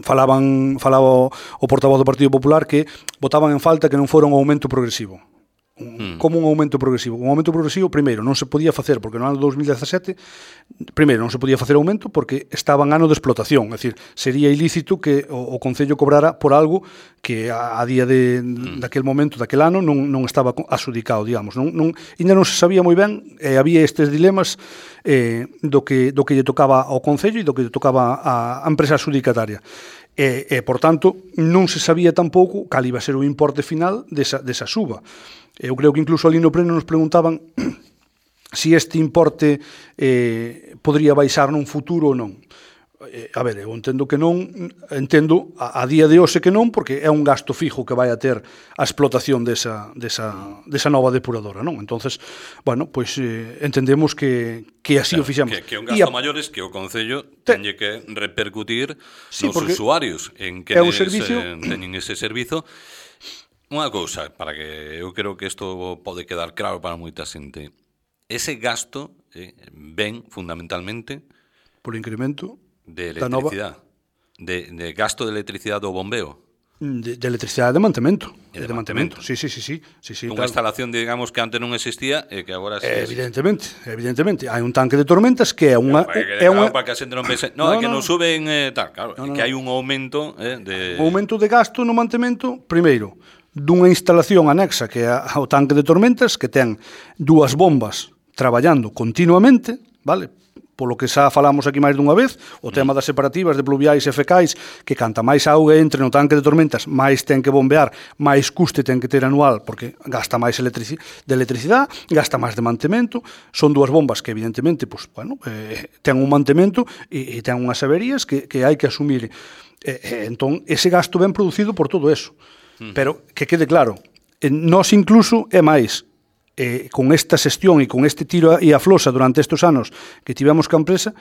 falaba o portavoz do Partido Popular que botaban en falta que non fora un aumento progresivo. Como un aumento progresivo? Un aumento progresivo, primeiro, non se podía facer, porque no ano 2017, primeiro, non se podía facer aumento porque estaba en ano de explotación, é dicir, sería ilícito que o Concello cobrara por algo que a día daquel momento, daquel ano, non estaba adjudicado, digamos. Ainda non se sabía moi ben, había estes dilemas do que lle tocaba ao Concello e do que lle tocaba á empresa adjudicataria. E, por tanto, non se sabía tampouco cal iba a ser o importe final desa suba. Eu creo que incluso ali no pleno nos preguntaban se este importe podría baixar nun futuro ou non. A ver, eu entendo que non, entendo a día de hoxe que non, porque é un gasto fijo que vai a ter a explotación desa nova depuradora, non? Entonces, bueno, pois entendemos que así o fixemos. Que un gasto maior es que o Concello teñe que repercutir nos usuarios en que teñen ese servizo. Unha cousa, para que eu creo que isto pode quedar claro para moita xente. Ese gasto ven fundamentalmente polo incremento de electricidade, de gasto de electricidade do bombeo. De electricidade de mantemento. De mantemento. Sí, Unha instalación, digamos, que antes non existía e que agora sí. Evidentemente. Hai un tanque de tormentas que é unha... Para que a xente non pense... No, é que non suben... Claro, que hai un aumento de... Un aumento de gasto no mantemento, primeiro, dunha instalación anexa que é o tanque de tormentas, que ten dúas bombas traballando continuamente, vale? Polo que xa falamos aquí máis dunha vez, o tema das separativas de pluviais e fecais, que canta máis auga entre no tanque de tormentas, máis ten que bombear, máis custe ten que ter anual, porque gasta máis de electricidade, gasta máis de mantemento, son dúas bombas que evidentemente, pues, bueno, ten un mantemento e ten unhas averías que hai que asumir. Entón, ese gasto ben producido por todo eso. Pero que quede claro, nós incluso é máis, con esta xestión e con este tiro e aflosa durante estes anos que tivemos ca empresa,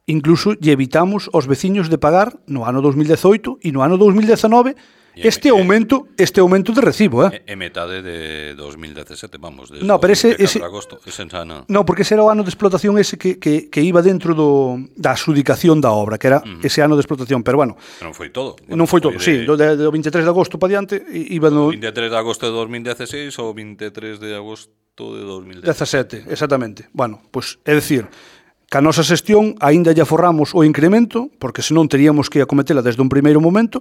incluso lle evitamos aos veciños de pagar no ano 2018 e no ano 2019 este aumento de recibo, É metade de 2017, vamos, de no, pero ese agosto, no, porque ese era o ano de explotación ese que iba dentro da adxudicación da obra, que era ese ano de explotación, pero bueno. Non foi todo. Non foi todo, sí, do 23 de agosto para diante iba no 23 de agosto de 2016 ou 23 de agosto de 2017, exactamente. Bueno, pois é dicir, que a nosa xestión aínda lle aforramos o incremento, porque senón teríamos que acometela desde un primeiro momento.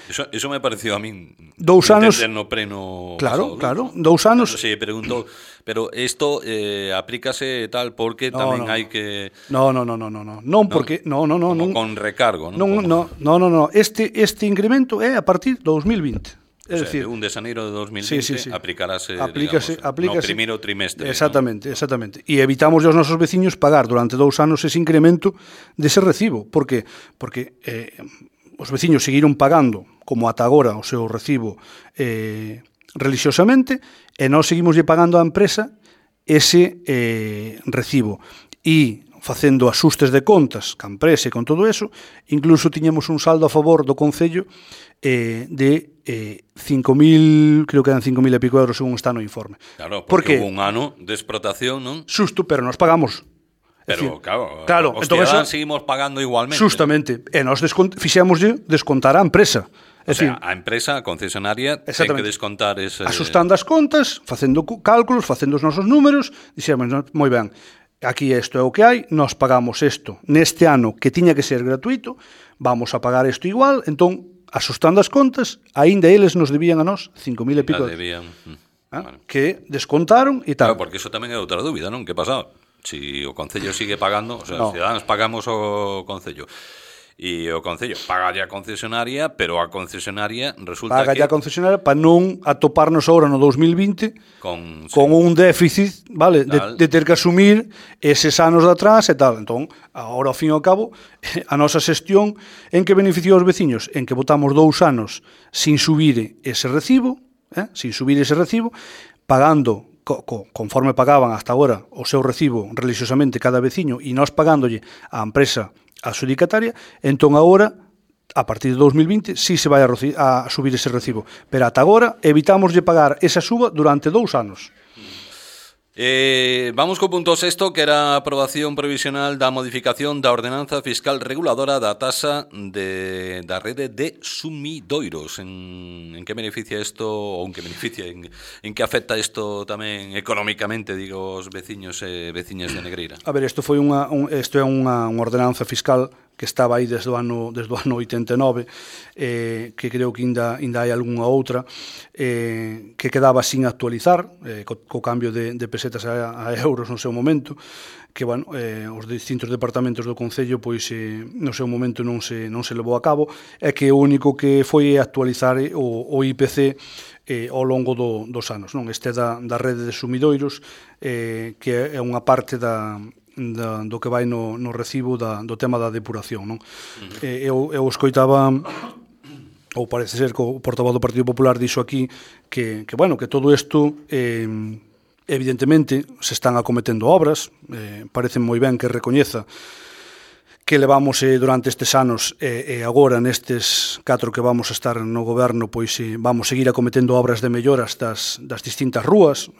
Eso me pareció a min 2 anos no pleno claro, pasado, 2 anos. Se preguntou, pero isto aplícase tal porque tamén hai que Non, porque non, con recargo, non. Non. Este incremento é a partir de 2020. É dicir, un de xaneiro de 2020 sí. aplícase no primeiro trimestre. Exactamente. E evitamos aos nosos veciños pagar durante 2 anos ese incremento dese recibo. Por que? Porque os veciños seguiron pagando como ata agora o seu recibo religiosamente e nós seguimos pagando á empresa ese recibo. E facendo axustes de contas ca empresa e con todo eso, incluso tiñamos un saldo a favor do Concello de 5.000, creo que eran 5.000 e pico euros según está no informe. Claro, porque hubo un ano de explotación, non? Xusto, pero nos pagamos. Pero, decir, claro, os ciudadanos seguimos pagando igualmente. Justamente, e nós fixémoslle descontar a empresa. O sea, a empresa, a concesionaria, ten que descontar ese... Asustando as contas, facendo cálculos, facendo os nosos números, dixemos, moi ben, aquí isto é o que hai, nós pagamos isto neste ano que tiña que ser gratuito, vamos a pagar isto igual, entón, asustando as contas, aínda eles nos debían a nós 5.000 e pico. Vale. Que descontaron e tal. Claro, porque iso tamén é outra dúbida, non? Que pasa? Si o Concello sigue pagando, o sea, os ciudadanos pagamos o Concello. E o Concello paga a concesionaria, pero a concesionaria resulta paga a concesionaria para non atoparnos agora no 2020 con un déficit, vale, de ter que asumir eses anos de atrás e tal. Entón, agora ao fin e ao cabo, a nosa xestión en que beneficiou aos veciños? En que botamos 2 anos sin subir ese recibo, pagando conforme pagaban hasta agora o seu recibo religiosamente cada veciño e nós pagándolle á empresa adxudicataria, entón agora, a partir de 2020, sí se vai a subir ese recibo. Pero ata agora evitamos de pagar esa suba durante 2 anos. Vamos co punto 6, que era a aprobación provisional da modificación da ordenanza fiscal reguladora da taxa da rede de sumidoiros. En que beneficia isto, ou en que beneficia, en que afecta isto tamén económicamente, digo, os veciños e veciñas de Negreira? A ver, isto é unha ordenanza fiscal que estaba aí desde o ano 89, que creo que ainda hai algunha outra, que quedaba sin actualizar, co cambio de pesetas a euros no seu momento, que, bueno, os distintos departamentos do Concello, pois, no seu momento non se levou a cabo, e que o único que foi actualizar o IPC ao longo dos anos, non? Este da rede de sumidoiros, que é unha parte do que vai no recibo do tema da depuración, non? Eu escoitaba, ou parece ser que o portavoz do Partido Popular dixo aquí que todo isto evidentemente se están acometendo obras, parece moi ben que recoñeza que levamos durante estes anos e agora nestes 4 que vamos a estar no goberno, pois vamos seguir acometendo obras de melloras das distintas rúas.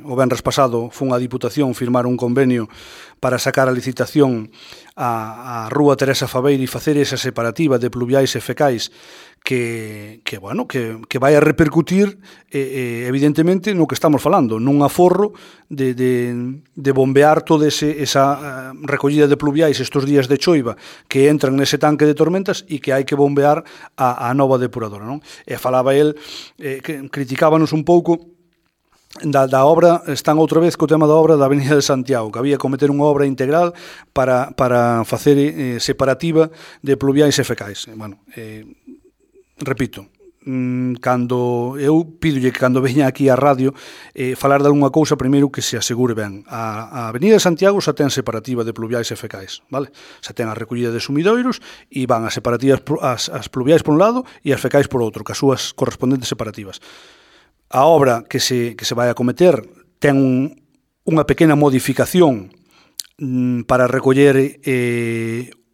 O venres pasado fun a Diputación firmar un convenio para sacar a licitación a Rúa Teresa Fabeiro e facer esa separativa de pluviais e fecais que vai a repercutir evidentemente no que estamos falando, nun aforro de bombear toda esa recollida de pluviais estes días de choiva que entran nese tanque de tormentas e que hai que bombear a nova depuradora, non? E falaba el, que criticábanos un pouco da obra, están outra vez co tema da obra da Avenida de Santiago, que había que cometer unha obra integral para facer separativa de pluviais e fecais. Bueno, repito, cando eu pídolle que cando veña aquí á radio falar de alguna cousa, primeiro que se asegure ben. A Avenida de Santiago xa ten separativa de pluviais e fecais, vale? Xa ten a recollida de sumidoiros e van as separativas, as pluviais por un lado e as fecais por outro, que as súas correspondentes separativas. A obra que se vai a cometer ten unha pequena modificación para recoller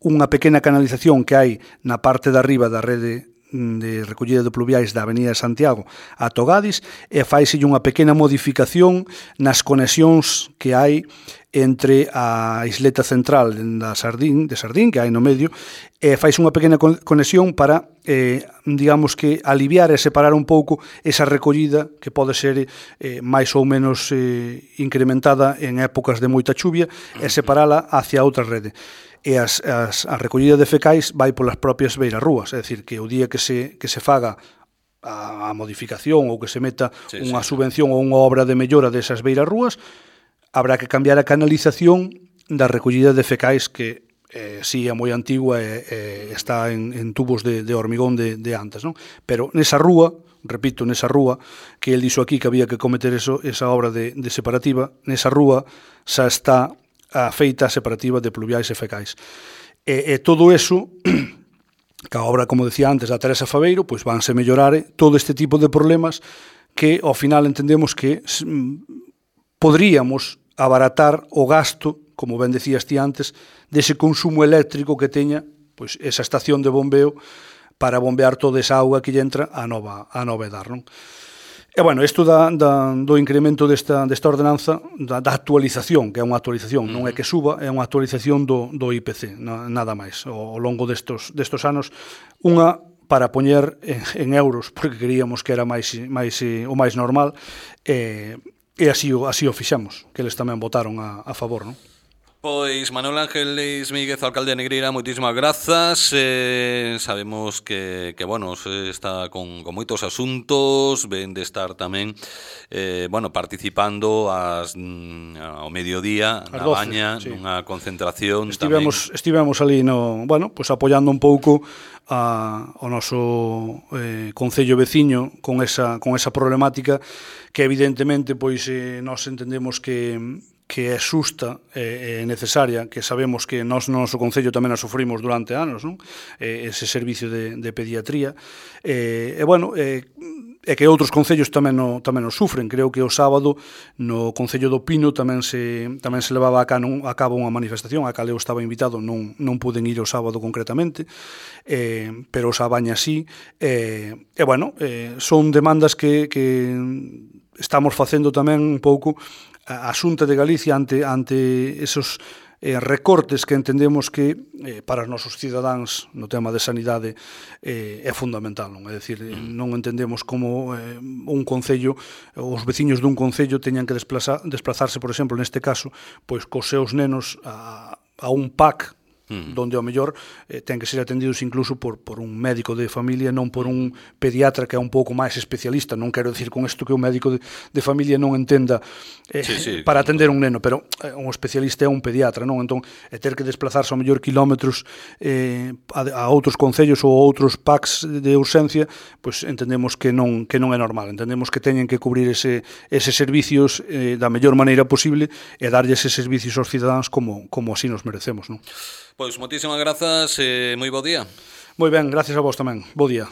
unha pequena canalización que hai na parte de arriba da rede de recollida de pluviais da Avenida de Santiago a Togadis e faise unha pequena modificación nas conexións que hai entre a isleta central de Sardín que hai no medio e faise unha pequena conexión para digamos que aliviar e separar un pouco esa recollida que pode ser máis ou menos incrementada en épocas de moita chuvia e separala hacia outra rede. E a recollida de fecais vai polas propias beirarrúas, é dicir, que o día que se faga a modificación ou que se meta unha subvención ou unha obra de mellora desas beirarrúas, habrá que cambiar a canalización da recollida de fecais que si é moi antigua e está en tubos de hormigón de antes, non? Pero nesa rúa, repito, nesa rúa, que el dixo aquí que había que cometer esa obra de separativa, nesa rúa xa está a feita separativa de pluviais e fecais. E todo eso, que a obra, como decía antes, da Teresa Faveiro, pois vanse mellorar todo este tipo de problemas que, ao final, entendemos que podríamos abaratar o gasto, como ben decías ti antes, dese consumo eléctrico que teña pois esa estación de bombeo para bombear toda esa auga que lle entra a nova edar, non? E, bueno, isto do incremento desta ordenanza, da actualización, que é unha actualización, non é que suba, é unha actualización do IPC, nada máis, ao longo destos anos, unha para poñer en euros, porque queríamos que era o máis normal, e así o fixamos, que eles tamén votaron a favor, non? Pois Manuel Ángel Leis Míguez, alcalde de Negreira, moitísimas grazas. Sabemos que bueno, está con moitos asuntos, ven de estar tamén bueno, participando ao mediodía na Baña, nunha concentración. Estivemos ali bueno, pues apoiando un pouco ao noso concello veciño con esa problemática que evidentemente pois nós entendemos que é xusta e necesaria, que sabemos que nós no noso concello tamén a sufrimos durante anos, non? Ese servicio de pediatría bueno, e que outros concellos tamén o sufren. Creo que o sábado no Concello do Pino tamén se levaba a cabo unha manifestación a cal eu estaba invitado, non puden ir o sábado concretamente, pero os Baña sí, bueno, son demandas que estamos facendo tamén un pouco a Xunta de Galicia ante esos recortes que entendemos que para os nosos cidadáns no tema de sanidade é fundamental, non? É dicir, non entendemos como un concello, os veciños dun concello teñan que desplazarse, por exemplo, neste caso, pois cos seus nenos a un PAC donde ao mellor ten que ser atendidos incluso por un médico de familia, non por un pediatra que é un pouco máis especialista. Non quero dicir con isto que un médico de familia non entenda para atender un neno, pero un especialista é un pediatra, non? Entón, ter que desplazarse ao mellor kilómetros a outros concellos ou outros PACs de urxencia, pois entendemos que non é normal. Entendemos que teñen que cubrir eses servicios da mellor maneira posible e darlle eses servicios aos cidadáns como así nos merecemos, non? Pois moitísimas grazas e moi bo día. Moi ben, gracias a vos tamén. Bo día.